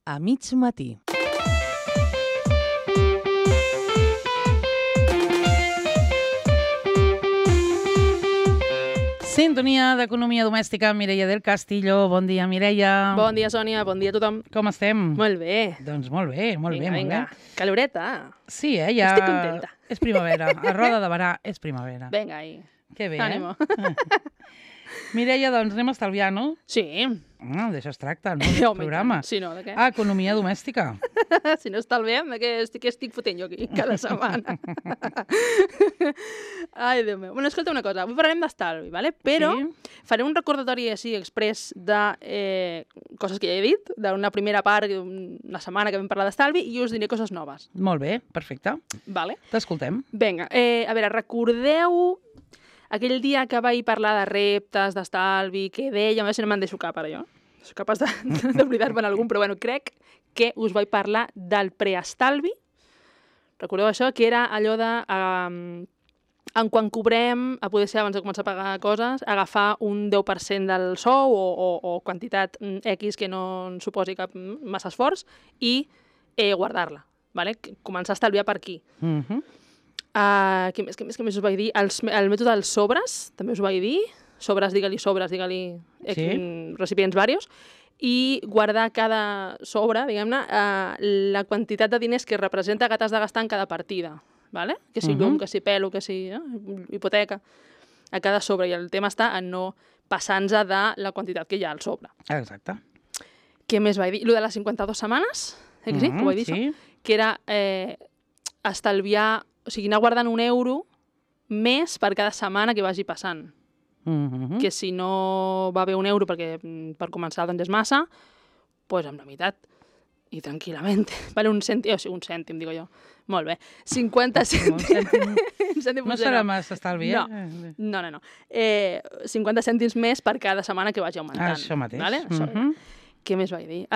a mig matí. Sintonia d'Economia Domèstica, Mireia del Castillo. Bon dia, Mireia. Bon dia, Sònia. Bon dia a tothom. Com estem? Molt bé. Doncs molt bé, molt bé. Vinga. Caloreta. Sí, ja... Estic contenta. És primavera. A roda de verà és primavera. Vinga, ahí. Que bé, Ànimo. Mireia, doncs anem a estalviar, no? Sí. D'això es tracta, no? El programa. Si no, de què? Economia domèstica. Si no estalviem, de què estic fotent jo aquí cada setmana? Ai, Déu meu. Bueno, escolta una cosa. Avui parlarem d'estalvi, ¿vale? Però faré un recordatori així express de coses que ja he dit, d'una primera part, una setmana que vam parlar d'estalvi, i us diré coses noves. Molt bé, perfecte. Vale? T'escoltem. Vinga, a veure, recordeu aquell dia que vaig parlar de reptes, d'estalvi, que deia, a veure si no me'n deixo cap ara jo. Soc capaç d'oblidar-me'n algun, però bueno, crec que us vaig parlar del preestalvi. Recordeu això? Que era allò de, en quan cobrem, a poder ser abans de començar a pagar coses, agafar un 10% del sou o quantitat X que no ens suposi cap massa esforç i guardar-la. Vale? Començar a estalviar per aquí. Què més us vaig dir? El mètode dels sobres, també us vaig dir. Sobres, digue-li recipients varios. I guardar cada sobre, diguem-ne, la quantitat de diners que representa que t'has de gastar en cada partida. ¿Vale? Que si llum, que si pelo, que si hipoteca. A cada sobre. I el tema està en no passar-nos de la quantitat que hi ha al sobre. Exacte. Què més vaig dir? Lo de les 52 setmanes, que sí? Ho vaig dir, sí. això? Que era estalviar... O sigui, anar guardant €1 més per cada setmana que vagi passant. Que si no va bé €1 perquè per començar doncs és massa, doncs amb la meitat. I tranquil·lament. Vale, un cèntim, digo jo. Molt bé. 50 cèntims. No serà massa estalvi, No. 50 cèntims més per cada setmana que vagi augmentant. Això mateix. Vale? Què més vaig dir?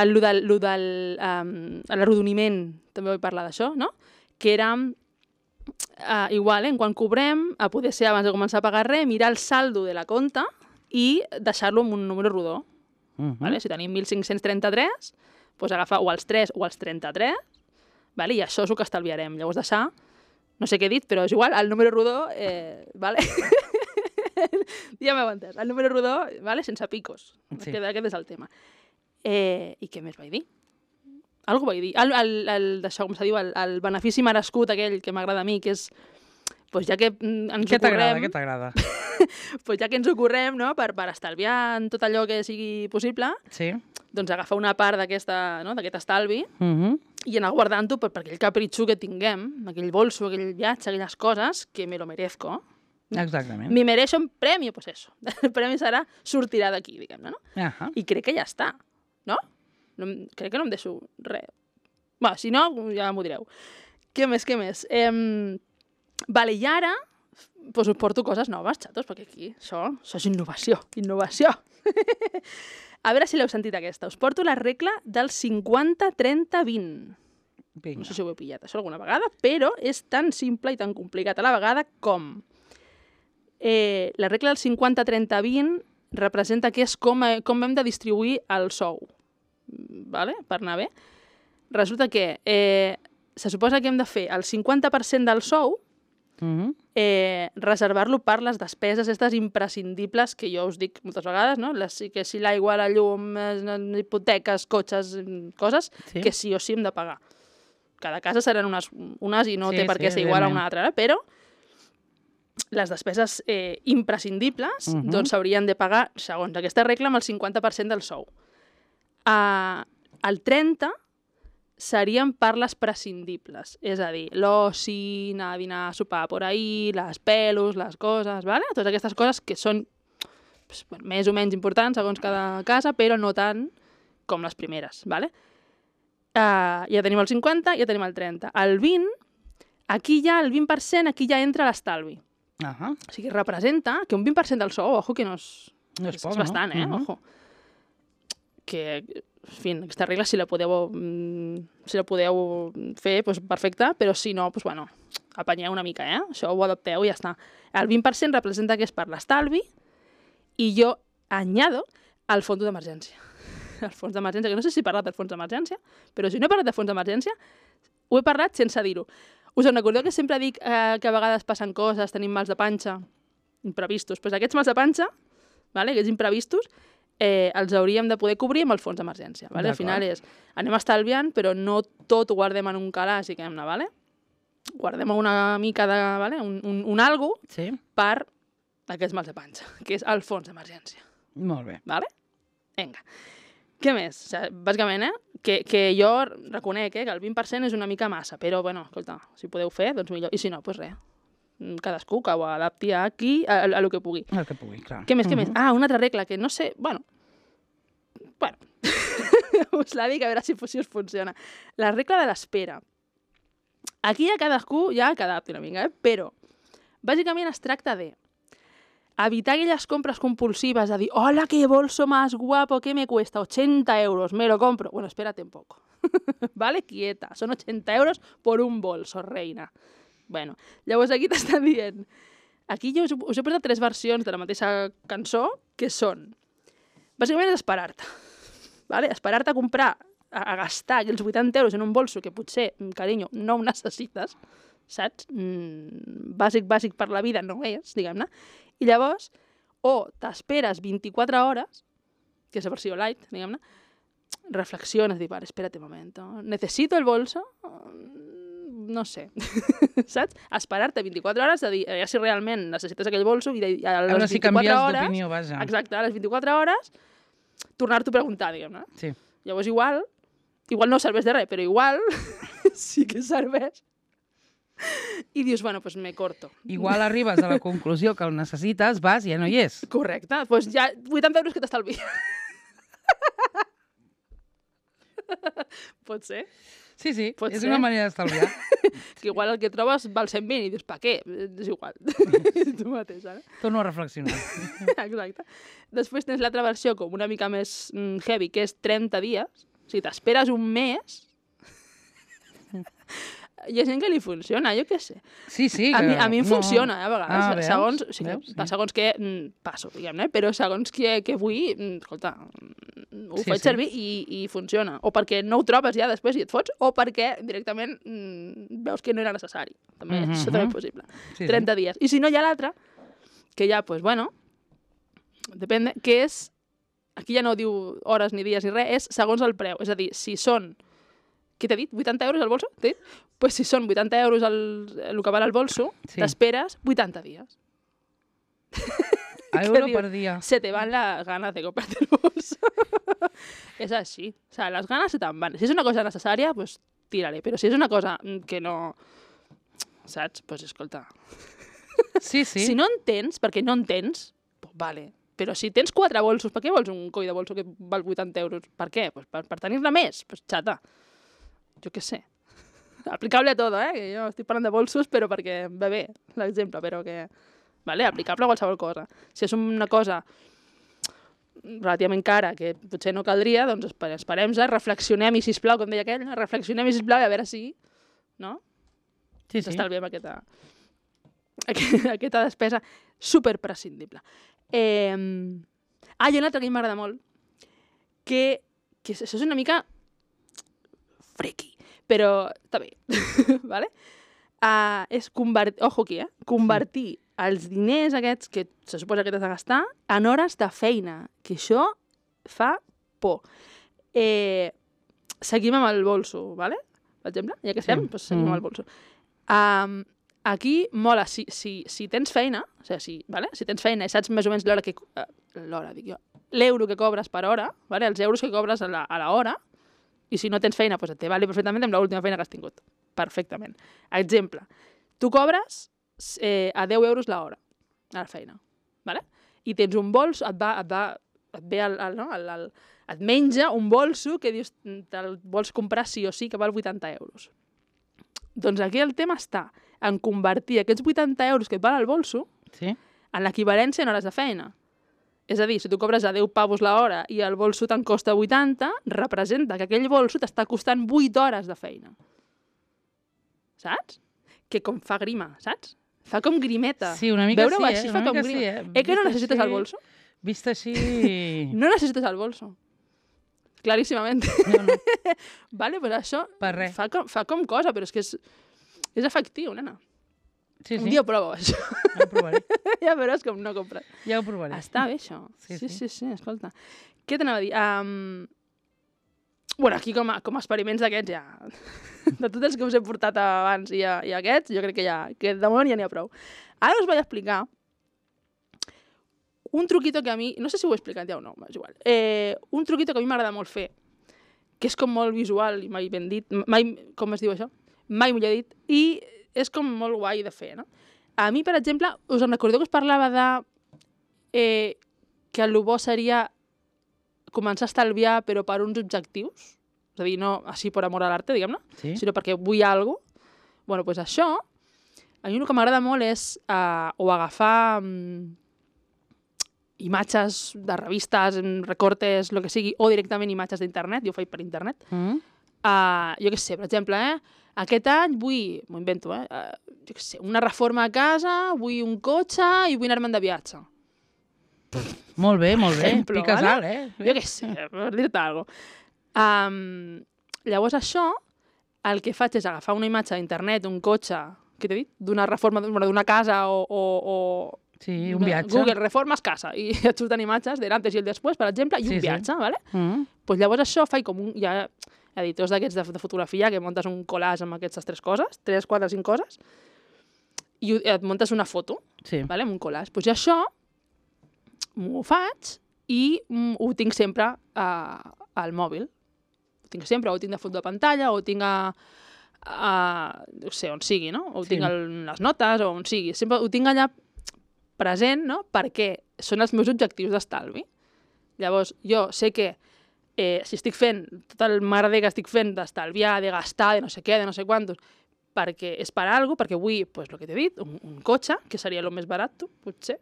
L'arrodoniment, també vaig parlar d'això, no? Que era... igual, quan cobrem, a poder ser abans de començar a pagar res, mirar el saldo de la compta i deixar-lo amb un número rodó. Vale? Si tenim 1.533, doncs agafar o els 3 o els 33, vale? I això és el que estalviarem. Llavors deixar, no sé què he dit, però és igual, el número rodó, vale? Ja m'heu entès. El número rodó, vale? Sense picos. Sí. Aquest és el tema. I què més vaig dir? Algú vaig dir. D'això, com se diu, el benefici merescut aquell que m'agrada a mi, que és, doncs ja que ens ho correm... Què t'agrada? Doncs ja que ens ho correm, no?, per estalviar en tot allò que sigui possible, doncs agafar una part d'aquest estalvi i anar guardant-ho per aquell capritxo que tinguem, aquell bolso, aquell viatge, aquelles coses, que me lo merezco. Exactament. Mi mereixo un premi, doncs això. El premi sortirà d'aquí, diguem-ne, no? I crec que ja està, no? Crec que no em deixo res. Va, si no, ja m'ho direu. Què més? Vale, i ara us porto coses noves, xatos, perquè aquí això és innovació. A veure si l'heu sentit aquesta. Us porto la regla del 50-30-20. No sé si ho heu pillat això alguna vegada, però és tan simple i tan complicat a la vegada com la regla del 50-30-20 representa que és com hem de distribuir el sou. Vale? Per anar bé. Resulta que se suposa que hem de fer el 50% del sou, reservar-lo per les despeses aquestes imprescindibles que jo us dic moltes vegades, no? Que si l'aigua, la llum, hipoteques, cotxes, coses que sí o sí hem de pagar. Cada casa seran unes i no té per què ser igual a una altra, però les despeses imprescindibles doncs s'haurien de pagar, segons aquesta regla, amb el 50% del sou. El 30 serien per les prescindibles, és a dir, l'oci, anar a dinar, a sopar por ahí, les pelos, les coses, ¿vale? Totes aquestes coses que són més o menys importants segons cada casa, però no tant com les primeres, ¿vale? Ja tenim el 50, ja tenim el 30. El 20, aquí ja el 20%, aquí ja entra l'estalvi. O sigui, representa que un 20% del sou, ojo, que no és bastant, ojo. Que, en fi, aquesta regla, si la podeu fer, doncs perfecte, però si no, doncs bueno, apanyeu una mica, Això ho adapteu i ja està. El 20% representa que és per l'estalvi i jo añado el fons d'emergència. el fons d'emergència, que no sé si he parlat del fons d'emergència, però si no he parlat del fons d'emergència, ho he parlat sense dir-ho. Us en recordeu que sempre dic que a vegades passen coses, tenim mals de panxa, imprevistos. Doncs aquests mals de panxa, vale, aquests imprevistos, els hauríem de poder cobrir amb el fons d'emergència. Vale? Al final és, anem estalviant, però no tot ho guardem en un calaix i diguem-ne, vale? Guardem una mica de, vale? un algo per aquests mals de panxa, que és el fons d'emergència. Molt bé. Vale? Vinga. Què més? O sigui, bàsicament, que jo reconec que el 20% és una mica massa, però, bueno, escolta, si podeu fer, doncs millor. I si no, doncs res. Cadascú que ho adapti aquí a lo que pugui. El que pugui, clar. Què més, què més? Ah, una altra regla, que no sé... Bueno, us la dic a veure si us funciona. La regla de l'espera. Aquí ja cadascú ja que adapti una mica, però bàsicament es tracta de evitar aquelles compres compulsives, de dir, hola, qué bolso más guapo, ¿qué me cuesta? 80 euros, me lo compro. Bueno, espérate un poco. Vale, quieta. Son 80 euros por un bolso, reina. Bueno, llavors aquí t'estan dient... Aquí jo us he posat 3 versions de la mateixa cançó, que són... Bàsicament és esperar-te. Vale? Esperar-te a comprar, a gastar aquells 80 euros en un bolso que potser, carinyo, no ho necessites, saps? Bàsic per la vida no és, diguem-ne. I llavors, o t'esperes 24 hores, que és la versió light, diguem-ne, reflexiones, dius, vale, espérate un momento, ¿necesito el bolso? No sé, saps? Esperar-te 24 hores de dir, ja si realment necessites aquell bolso i a les 24 si canvies hores... d'opinió, vaja. Exacte, a les 24 hores, tornar-t'ho a preguntar, diguem-ne. Sí. Llavors igual no serveix de res, però igual sí que serveix. I dius, bueno, pues me corto. Igual arribes a la conclusió que el necessites, vas i ja no hi és. Correcte, doncs ja 80 euros que t'estalvi. Pot ser? Sí, Pot és ser. una manera d'estalviar. Que igual el que trobes val 120 i dius, per què? És igual. Tu mateix, ara. Torno a reflexionar. Exacte. Després tens l'altra versió com una mica més heavy, que és 30 dies. O sigui, t'esperes un mes... Hi ha gent que li funciona, jo què sé. Sí. A mi em funciona, a vegades. Veus? Segons, o sigui, Veus? segons què passo, diguem-ne, però segons què vull, escolta, ho faig servir i funciona. O perquè no ho trobes ja després i et fots, o perquè directament veus que no era necessari. També, això també és possible. 30 dies. I si no, hi ha l'altra, que ja, pues, bueno, depèn, que és, aquí ja no diu hores ni dies ni res, és segons el preu. És a dir, si són... Què t'he dit? 80 euros al bolso? T'he dit? Pues si són 80 euros el que val al bolso, t'esperes 80 dies. Euro per dia. Se te van las ganas de comprarte el bolso. És així. O sea, las ganas se te'n van. Si és una cosa necessària, pues tírale. Però si és una cosa que no... Saps? Pues escolta. Sí. Si no en tens, perquè no en tens, pues vale. Però si tens 4 bolsos, per què vols un coll de bolso que val 80 euros? Per què? Pues per tenir-ne més. Pues xata. Jo què sé. Aplicable a tot, que jo estic parlant de bolsos, però perquè va bé l'exemple, però que... Vale, aplicable a qualsevol cosa. Si és una cosa relativament cara que potser no caldria, doncs esperem-se, reflexionem-hi, sisplau, com deia aquell, reflexionem-hi, sisplau, i a veure si... No? Sí. Estalviem aquesta despesa superprescindible. Hi ha una altra que a mi m'agrada molt, que això és una mica... friki, però està bé, vale? És convertir els diners aquests que se suposa que t'has de gastar en hores de feina, que això fa por. Seguim amb el bolso, vale? Per exemple, ja que estem, doncs seguim amb el bolso. Aquí mola, si tens feina, o sigui, si tens feina i saps més o menys l'euro que cobres per hora, vale? Els euros que cobres a l'hora, i si no tens feina, doncs et vale perfectament amb l'última feina que has tingut. Perfectament. Exemple, tu cobres a 10 euros l'hora a la feina, vale? I tens un bolso, et menja un bolso que dius, te'l vols comprar sí o sí, que val 80 euros. Doncs aquí el tema està en convertir aquests 80 euros que et val el bolso en l'equivalència en hores de feina. És a dir, si tu cobres a 10 pavos l'hora i el bolso te'n costa 80, representa que aquell bolso t'està costant 8 hores de feina. Saps? Que com fa grima, saps? Fa com grimeta. Sí, una mica Veure-ho sí, així fa com grima. Que no necessites el bolso? Vist així... No necessites el bolso. claríssimament. No. Vale, pues això Per res. fa com cosa, però és que és efectiu, nena. Sí, Un dia prova això. Ja ho provaré. Ja veuràs com no compres. Ja ho provaré. Està bé, això. Sí. Sí, escolta. Què t'anava a dir? Bueno, aquí com a experiments d'aquests ja... De tots els que us he portat abans i aquests, jo crec que de moment ja n'hi ha prou. Ara us vaig explicar un truquito que a mi... No sé si ho he explicat ja o no, és igual. Un truquito que a mi m'agrada molt fer, que és com molt visual i mai ben dit. Com es diu això? Mai millor dit. I és com molt guai de fer, no? A mi, per exemple, us en recordeu que us parlava de que el bo seria començar a estalviar però per uns objectius? És a dir, no així per amor a l'arte, diguem-ne, sinó perquè vull alguna cosa. Bueno, doncs això, a mi el que m'agrada molt és o agafar imatges de revistes, recortes, el que sigui, o directament imatges d'internet, jo ho faig per internet. Jo què sé, per exemple, aquest any vull, m'ho invento, jo què sé, una reforma a casa, vull un cotxe i vull anar-me'n de viatge. Molt bé, Ejemplo, piques ¿vale? alt, Jo què sé, per dir-te alguna cosa. Llavors això, el que faig és agafar una imatge d'internet, un cotxe, què t'he dit? D'una reforma d'una casa o sí, un viatge. Google reformes casa i et surten imatges de l'antes i el després, per exemple, i un viatge, ¿vale? Pues llavors això faig com un... Hi ha editors d'aquests de fotografia que montes un collage amb aquestes 3 coses, 3, 4, 5 coses, i et montes una foto, ¿vale? Amb un collage. Pues jo això m'ho faig i ho tinc sempre al mòbil. Ho tinc sempre, o ho tinc de fons de pantalla, o ho tinc no sé, on sigui, no? O ho tinc a les notes, o on sigui. Sempre ho tinc allà present, no? Perquè són els meus objectius d'estalvi. Llavors, jo sé que si estic fent tot el merder que estic fent d'estalviar, de gastar, de no sé què, de no sé quantos, perquè és per alguna cosa, perquè vull, pues, el que t'he dit, un cotxe, que seria el més barat, potser.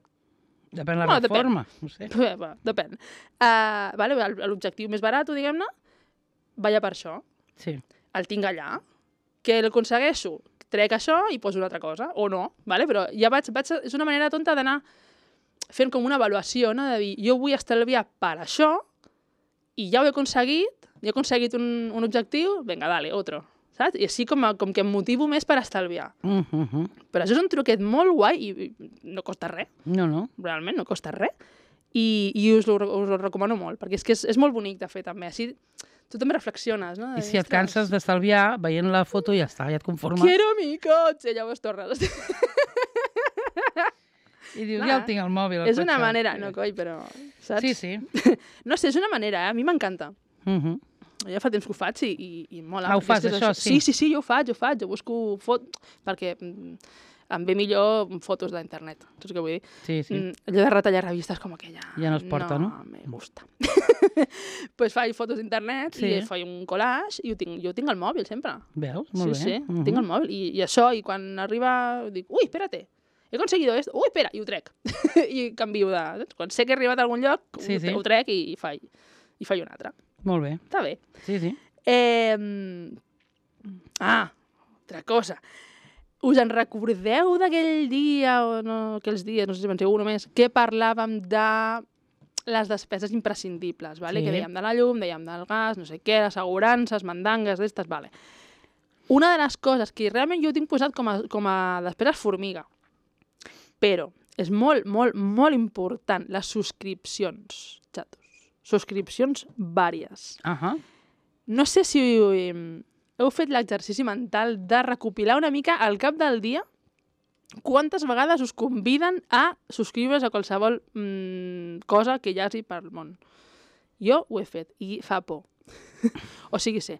Depèn de la reforma, no sé. Depèn. L'objectiu més barat, diguem-ne, vaya per això. Sí. El tinc allà. Que l'aconsegueixo, trec això i poso una altra cosa, o no, ¿vale? Però ja és una manera tonta d'anar fent com una avaluació, no? De dir, jo vull estalviar per això i ja ho he aconseguit un objectiu, vinga, dale, otro, saps? I així com que em motivo més per estalviar. Però això és un truquet molt guai i no costa res. No. Realment, no costa res. I us ho recomano molt, perquè és que és molt bonic de fer també. Així tu també reflexiones, no? I si et canses d'estalviar, veient la foto ja està, ja et conformes. Quiero mi cotxe, llavors tornes. I dius, ja el tinc al mòbil. És una manera, no coi, però... Saps? Sí. No sé, és una manera, a mi m'encanta. Ja fa temps que ho faig i mola. Ho fas, això, sí? Sí, jo ho faig. Jo busco perquè em ve millor fotos d'internet, saps què vull dir? Sí. Allò de retallar revistes com aquella... Ja no es porta, no? No me gusta. Pues faig fotos d'internet i faig un collage i jo tinc al mòbil sempre. Veus? Molt bé. Sí, tinc al mòbil. I això, i quan arriba, dic, ui, espérate, he conseguido esto, ui, espera, i ho trec. I canvio de... Quan sé que he arribat a algun lloc, ho trec i faig un altre. Molt bé. Està bé. Sí. Altra cosa. Us en recordeu d'aquell dia, o no, aquells dies, no sé si penseu només, que parlàvem de les despeses imprescindibles, vale? Que dèiem de la llum, dèiem del gas, no sé què, assegurances, mandangues, d'estes, vale. Una de les coses que realment jo tinc posat com a despeses formiga, però és molt, molt, molt important, les subscripcions, xatos. Subscripcions vàries. No sé si heu fet l'exercici mental de recopilar una mica al cap del dia quantes vegades us conviden a subscriure's a qualsevol cosa que hi hagi pel món. Jo ho he fet i fa por. O sigui, sé.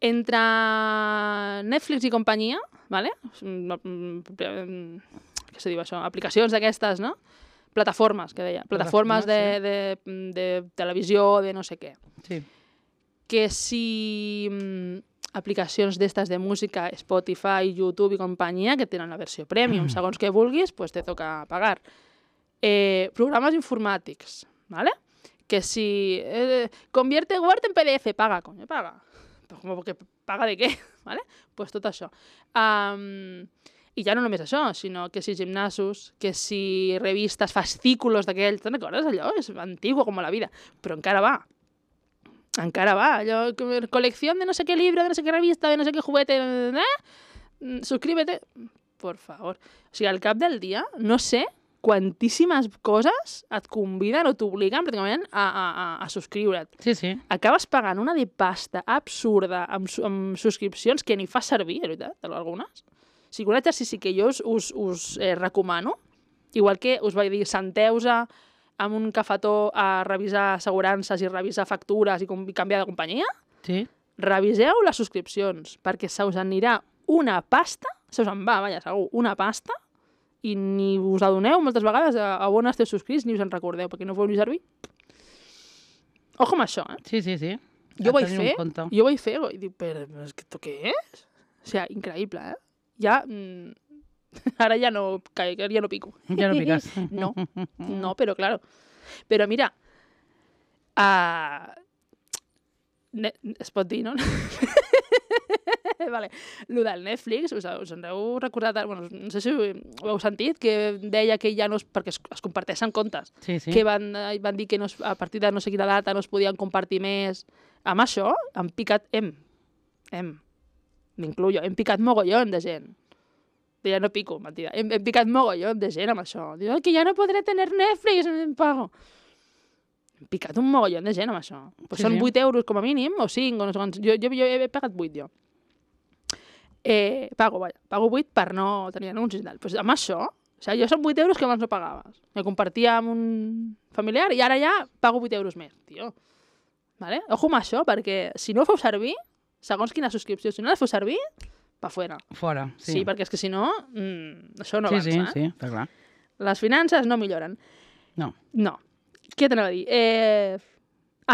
Entre Netflix i companyia, ¿vale? Què se diu això? Aplicacions d'aquestes, no? Plataformes, que deia. Plataformes de televisió, de no sé què. Sí. Que si aplicacions d'estes de música, Spotify, YouTube i companyia, que tenen la versió premium, segons que vulguis, pues te toca pagar. Programes informàtics, ¿vale? Que si convierte Word en PDF, paga, coño, paga. ¿Cómo que paga de qué? ¿Vale? Pues tot això. I ja no només això, sinó que si gimnasos, que si revistes, fascículos d'aquells, te'n recordes allò? És antigo com la vida, però encara va. Encara va, allò, colecció de no sé què llibre, de no sé què revista, de no sé què juguete, suscríbete, por favor. O sigui, al cap del dia, no sé quantíssimes coses et conviden o t'obliguen pràcticament a subscriure't. Sí, sí. Acabes pagant una de pasta absurda amb subscripcions que ni fas servir, de veritat, algunes. O sigui, un exercici que jo us recomano, igual que us vaig dir, senteu-se amb un cafetó a revisar assegurances i revisar factures i canviar de companyia, Sí. reviseu les subscripcions, perquè se us anirà una pasta, se us en va, vaja, segur, una pasta, i ni us adoneu moltes vegades a on esteu subscrits ni us en recordeu, perquè no ho ni servir. Ojo amb això, eh? Sí, sí, sí. Jo A vaig tenir en fer, compte. i dic, però esto què és? O sigui, increïble, eh? Ja, ara ja no pico. Ja no piques. No, però claro. Però mira, es pot dir, no? Vale. Lo del Netflix, us en heu recordat, bueno, no sé si ho heu sentit, que deia que ja no perquè es comparteixen comptes, Sí, sí. que van dir que a partir de no sé quina data no es podien compartir més. Amb això han picat, m'incluyo, hem picat mogollón de gent. Ja no pico, mentida. Hem picat mogollón de gent amb això. Diu, que ja no podré tener Netflix, em pago. Hem picat un mogollón de gent amb això. Pues Sí, són sí. 8 euros com a mínim, o 5, o no sé quants. Jo he pagat 8, jo. Pago 8 per no tenir anuncis i tal. Pues amb això, o sigui, jo són 8 euros que abans no pagaves. Me compartia amb un familiar i ara ja pago 8 euros més, tio. Vale? Ojo amb això, perquè si no ho feu servir, segons quina subscripció, si no la feu servir, pa fuera. Fora, sí. Sí, perquè és que si no, això no avança. Sí, sí, està clar. Les finances no milloren. No. No. Què t'anava a dir?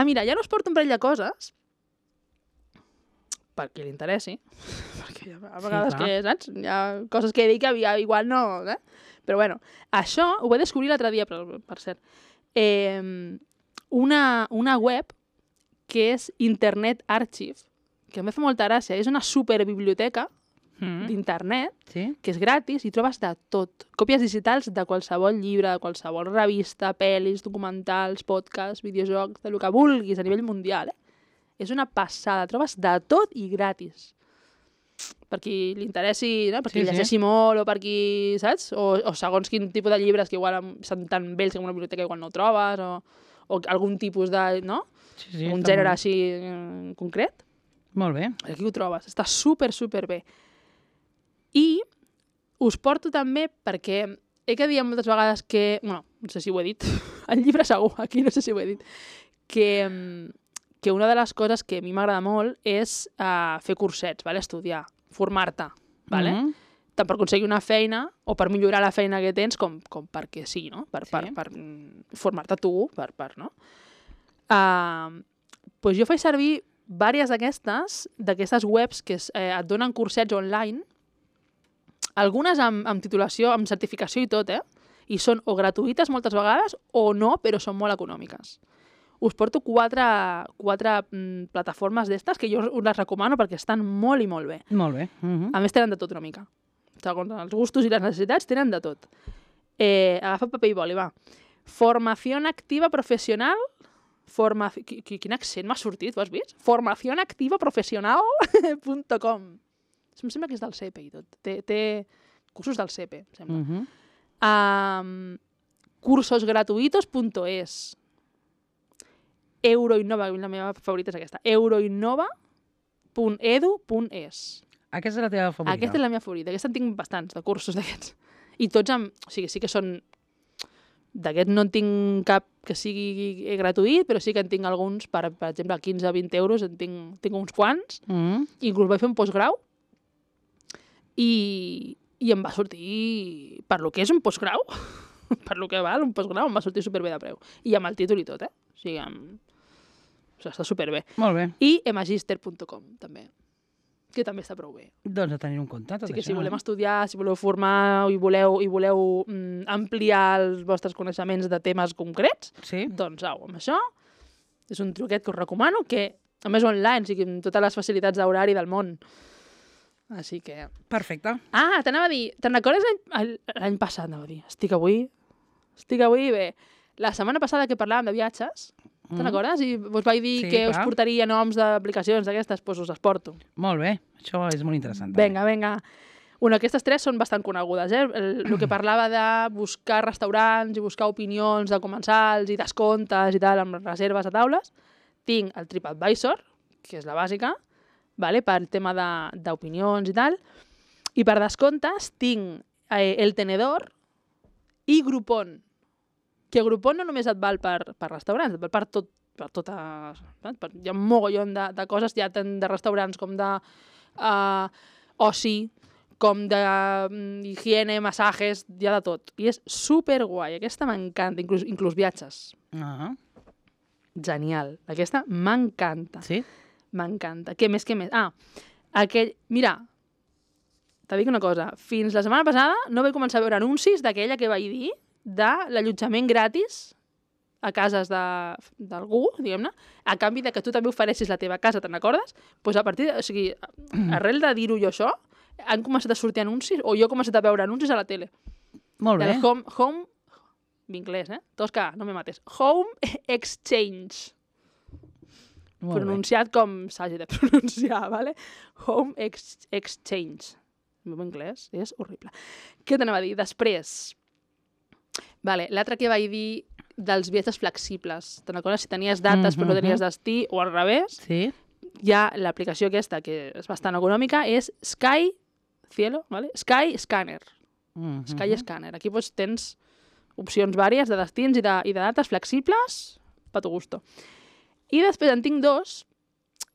Mira, ja no us porto un parell de coses per qui li interessi, perquè a vegades clar. saps? Hi ha coses que he dit que igual no, Però bueno, això ho vaig descobrir l'altre dia, per cert. Una web que és Internet Archive, que em fa molta gràcia, és una superbiblioteca d'internet, Sí? que és gratis i trobes de tot. Còpies digitals de qualsevol llibre, de qualsevol revista, pel·lis, documentals, podcasts, videojocs, del que vulguis a nivell mundial. És una passada, trobes de tot i gratis. Per qui li interessi, no? Per qui Sí, sí. llegeixi molt o per qui, saps? O segons quin tipus de llibres que igual són tan vells que en una biblioteca igual no ho trobes, o algun tipus de, no? Sí, sí. Un està gènere molt- així concret. Molt bé. Aquí ho trobes, està super bé. I us porto també perquè he que dir moltes vegades que, bueno, no sé si ho he dit, el llibre segur, aquí no sé si ho he dit, que una de les coses que a mi m'agrada molt és fer cursets, vale? Estudiar, formar-te, vale? Mhm. Tant per aconseguir una feina o per millorar la feina que tens com perquè sí, no? Per formar-te tu, no? Pues jo faig servir diverses d'aquestes webs que et donen cursets online, algunes amb titulació, amb certificació i tot, i són o gratuïtes moltes vegades o no, però són molt econòmiques. Us porto quatre plataformes d'estes que jo us les recomano perquè estan molt i molt bé. Molt bé. Mhm. A més, tenen de tot una mica. Segons els gustos i les necessitats, tenen de tot. Agafa paper i boli, va. Formación activa profesional. Quin accent m'ha sortit, ho has vist? Formacionactivaprofesional.com. Em sembla que és del CEPE i tot. Té cursos del CEPE, em sembla. Mhm. Cursosgratuitos.es. Euroinnova, la meva favorita és aquesta. Euroinnova.edu.es. Aquesta és la teva favorita. Aquesta és la meva favorita. Aquesta en tinc bastants, de cursos d'aquests. I tots amb... O sigui, sí que són... D'aquests no en tinc cap que sigui gratuït, però sí que en tinc alguns, per exemple, 15-20 euros, en tinc uns quants. Mhm. Inclús vaig fer un postgrau i em va sortir, per lo que és un postgrau, per lo que val un postgrau, em va sortir superbé de preu. I amb el títol i tot, O sigui, està superbé. Molt bé. I emagister.com, també, que també està prou bé. Doncs a tenir en compte tot Així que això. si volem estudiar, si voleu formar i voleu ampliar els vostres coneixements de temes concrets, Sí? doncs au, amb això és un truquet que us recomano, que a més online, o sigui, amb totes les facilitats d'horari del món. Així que... Perfecte. Ah, t'anava a dir, te'n recordes l'any passat, anava a dir, estic avui bé. La setmana passada que parlàvem de viatges, te'n recordes? I us vaig dir que us portaria noms d'aplicacions d'aquestes, doncs us les porto. Molt bé, això és molt interessant. Vinga. Bueno, aquestes tres són bastant conegudes, eh? El que parlava de buscar restaurants i buscar opinions de comensals i descomptes i tal, amb reserves a taules. Tinc el TripAdvisor, que és la bàsica, vale? Per tema d'opinions i tal. I per descomptes tinc El Tenedor i Groupon. Que Groupon no només et val per restaurants, et val per tot, hi ha un mogollon de coses, ja tant de restaurants com de oci, com d'higiene, massatges, hi ha de tot. I és superguai, aquesta m'encanta, inclús viatges. Genial, aquesta m'encanta. Sí? M'encanta. Què més? Mira, t'ha dit una cosa, fins la setmana passada no vaig començar a veure anuncis d'aquella que vaig dir de l'allotjament gratis a cases d'algú, diguem-ne, a canvi de que tu també ofereixis la teva casa, te'n recordes? Doncs arrel de dir-ho jo això, han començat a sortir anuncis, o jo he començat a veure anuncis a la tele. Molt bé. Home, d'inglès, Tosca, no me mates. Home Exchange. Pronunciat com s'hagi de pronunciar, ¿vale? Home Exchange. El meu anglès és horrible. Què t'anava a dir? Després, l'altre que vaig dir dels viatges flexibles. Te'n recordes? Si tenies dates però no tenies destí, o al revés, hi ha l'aplicació aquesta, que és bastant econòmica, és Sky Scanner. Sky Scanner. Aquí tens opcions vàries de destins i de dates flexibles, per tu gusto. I després en tinc dos,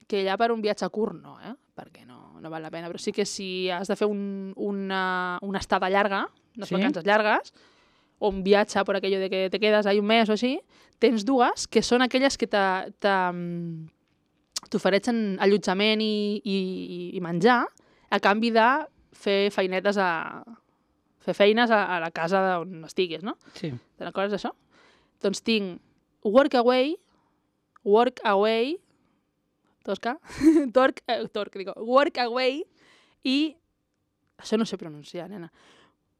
que ja per un viatge curt no, perquè no val la pena, però sí que si has de fer una estada llarga, unes vacances llargues, o un viatge per aquello de que te quedes ahí un mes o així, tens dues que són aquelles que t'ofereixen allotjament i menjar a canvi de fer feines a la casa on estiguis, no? Sí. Te'n recordes d'això? Doncs tinc Workaway, Tosca, Workaway i, això no sé pronunciar, nena,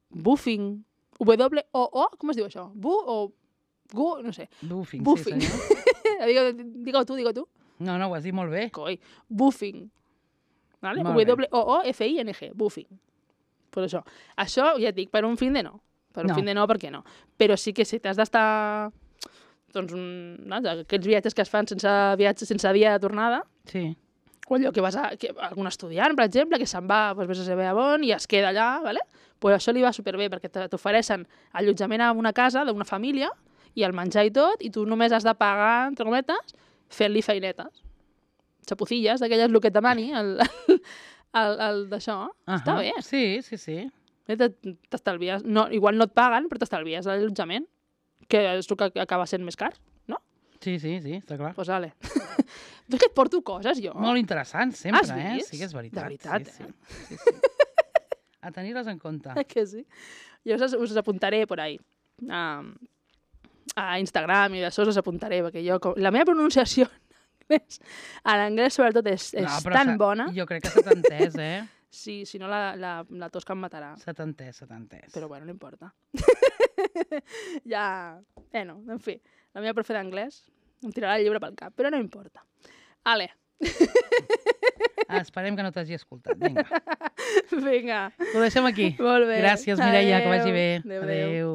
Buffing, W-O-O, com es diu això? No sé. Buffing, Buffing. sí senyor. Digue-ho tu. No, ho has dit molt bé. Coi, Buffing. Vale? W-O-O-F-I-N-G, Buffing. Per això. Això, ja et dic, per un fin de no. Per un fin de no, per què no? Però sí que si t'has d'estar... Doncs, aquests viatges que es fan sense dia de tornada, o allò que vas algun estudiant, per exemple, que se'n va, vés a saber on, i es queda allà, ¿vale? Pues això li va superbé, perquè t'ofereixen allotjament a una casa d'una família, i el menjar i tot, i tu només has de pagar, entre cometes, fent-li feinetes. Xapucilles, d'aquelles el que et demani, el d'això. Està bé. Sí. T'estalvies. Igual no et paguen, però t'estalvies l'allotjament, que és el que acaba sent més car, no? Sí, està clar. Doncs vale. És que et porto coses, jo. Molt interessant, sempre, Has vist? Sí que és veritat. De veritat, sí. A tenir-les en compte. Que sí. Jo us apuntaré por ahí. A Instagram i d'això us apuntaré, perquè la meva pronunciació en anglès sobretot és tan bona. Jo crec que se t'ha entès, Sí, si no la Tosca em matarà. Se t'ha entès. Però bueno, no importa. Ja... no, en fi. La meva profe d'anglès em tirarà el llibre pel cap, però no importa. Ale. Esperem que no t'hagi escoltat. Vinga. Vinga. Ho deixem aquí. Molt bé. Gràcies, Mireia, que vagi bé. Adéu.